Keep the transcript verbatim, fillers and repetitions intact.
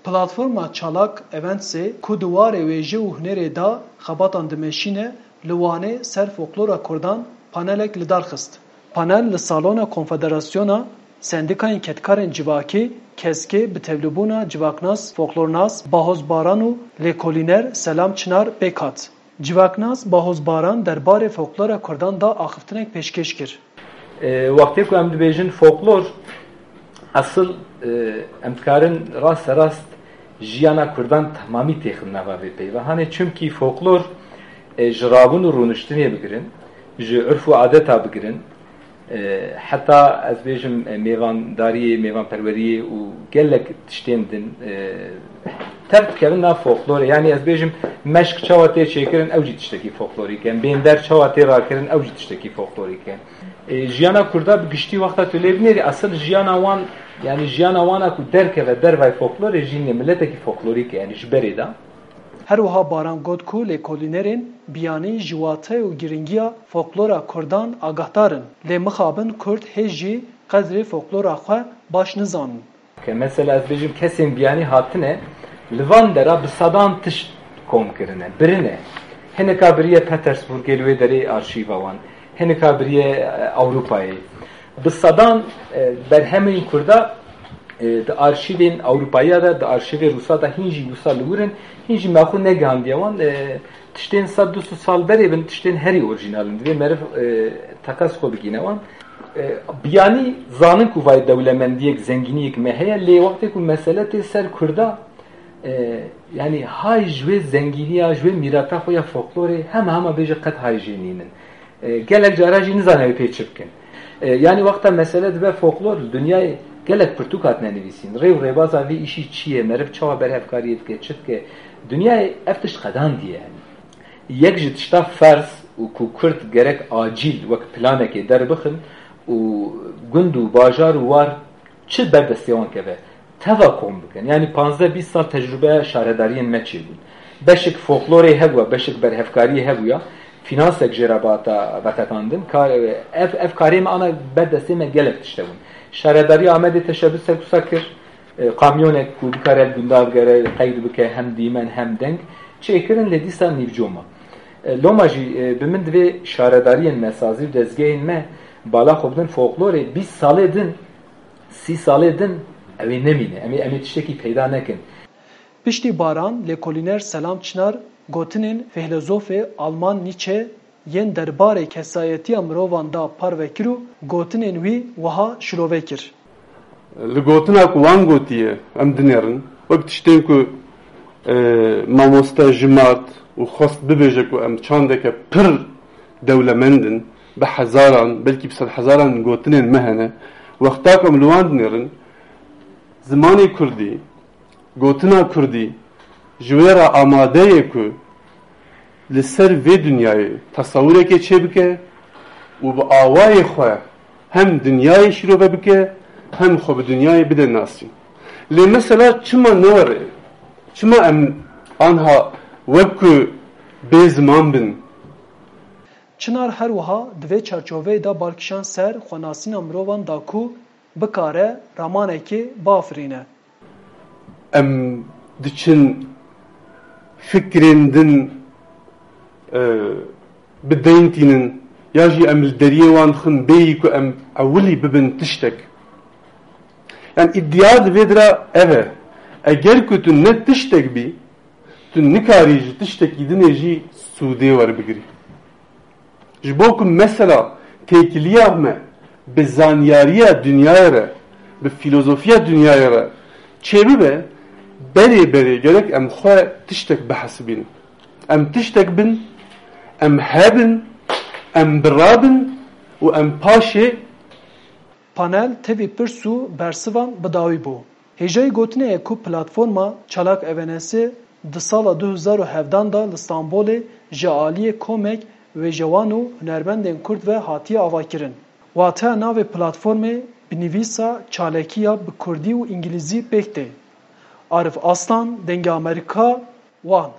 Platforma Çalak Eventsê ku di warê wêje û hunerê de xebatan dimeşîne, li Wanê ser folklora Kurdan panelek li dar xist. Panel li salona Konfederasyona Sendîkayên Kedkarên Civakî, keskê, bi tevlîbûna civaknas, folklornas Bahoz Baran û lêkolîner Selam Çinar pêk hat. Civaknas Bahoz Baran derbarê folklora Kurdan de axiftinek pêşkêş kir. E, wextê ku em dibêjin folklor, esil, e, em dikarin rasterast jiyana Kurdan temamî têxin nava vê peyva. Hanê çimkî folklor, e, ji rabûn û rûniştinê bigirin, ji urf û adeta bigirin, e, heta ez bêjim, e, mêvandariyê, mêvanperweriyê û gelek tiştên din, e, tev dikevin nav folklorê. Yanî ez bêjim meşk çawa tê çêkirin, ew jî tiştekî folklorîk e. Bênder çawa tê rakirin, ew jî tiştekî folklorîk e. E, jiyana Kurda bi giştî wexta tu lê binêrî, esil jiyana wan, yanî jiyana wana ku derkeve dervay folklorê jî nê miletekî folklorîk e, yanî ji berê de. Her wiha Baran got ku lêkolînerên biyanî ji wate û giringiya folklora Kurdan agahdar in, lê mixabin Kurd hê jî qedrê folklora xwe baş nizanin. Ke mesela ez bêjim kesên biyanî hatine, li van dera bi sedan tişt kom kirine, birine. Hinika biriye Petersburgê li wê derê arşîva wan. Hinika biriye, e, Ewropayê. Bi sedan, e, berhemên Kurda, e, di arşîvên Ewropayiya de, di arşîvê Rûsa de hîn jî wisa li wir in, hîn jî me xwe negihandiye wan. E, tiştên sed du sed sal berê bin, tiştên herî orîjinal in. Divê meriv, e, teqez xwe bigîne wan. E, biyanî zanin ku vay dewlemendiyek, zengîniyek me heye, lê wextê ku mesele tê ser Kurda, e, yanî hay ji wê zengîniya, ji wê mîrata xwe ya folklorê hema hema bêje qet hay jê nînin. E, gelek cara jî nizane wê pê çi bikin. E, yanî wexta mesele dibe folklor, li dinyayê gelek pirtûk hatine nivîsîn. Rê û rêbaza vê îşî çi ye, meriv çawa berhevkariyê dike, çi dike? Dinyayê ev tişt qedandiye yanî. Yek ji tişta ferz û ku Kurd gerek acîl wek planekê derbixin û gund û bajar û war çi ber destê wan keve, teva kom bikin. Yanî panzdeh bîst sal tecrûbeya şaredariyên me çêbûn. Beşek folklorê hebûya, beşek berhevkariyê hebûya, fînansek jê re bata vetekandin. Ka-, ev, ev karê me ana ber destê me gelek tişte bûn. Şaredariya Amedê teşebûs ser wisa kir, e, kamyonek ku bikare li gunda bigere, qeyd bike hem dîmen hem deng, çêkirin lê dîsa nîvcoma. E, loma jî, e, bi min divê şaredariyên me, sazî û dezgehên me bala xwe bidin folklorê, bîst salê din, sî salê din ew ê nemîne. Em ê, em ê tiştekî peyda nekin. Piştî Baran, lêkolîner Selam Çinar gotinên fîlozofê Alman Nietzsche yên derbarê kesayetiya mirovan da parve kir û gotinên wî wiha şilove kir. Li gotina ku wan gotiye, em dinêrin, wek tiştên ku, e, mamoste Jimart û xwest bibêje ku em çandeke pir dewlemend in, bi hezaran, belkî bi sedhezaran gotinên me hene, wexta ku em li wan dinêrin, zimanê kurdî, gotina kurdî ji wê re amade ye ku li ser vê dinyayê tesewurekê çêbike û bi awayê xwe hem dinyayê şîrove bike, hem xwe bi dinyayê bide nasîn. Lê mesela çima ne were? Çima em anha wek ku bê ziman bin? Çinar her wiha di vê çarçoveyê de bal kişand ser xwenasîna mirovan da ku bikare ramanekê biafirîne. Em diçin fikrên din, e, bi deyn tînin, ya jî em li deriyê wan dixin bêyî ku em ewilî bibin tiştek. Yanî îdia di vê dira ev e. Eger ku tu ne tiştek bî, tu nikarî ji tiştekî dinê jî sûdê werbigirî. Ji bo ku mesela têkiliya me bi zanyariya dinyayê re, bi fîlozofiya dinyayê re çêbibe, berê berê gerek em xwe tiştek bihesibînin. Em tiştek bin, em hebin, em birabin û em paşê. Panel tevî pirs û bersivan bi dawî bû. Hêjayî gotinê ye ku platforma Çalak Evenesê di sala du hezar û hevdan de li Stenbolê ji aliyê komek wêjewan û hunermendên Kurd ve hatiye avakirin. Wateya navê platformê bi nivîsa çalakî ya bi Kurdî û Îngilîzî pêk tê. Arif Aslan, Dengê Amerîka, Wan.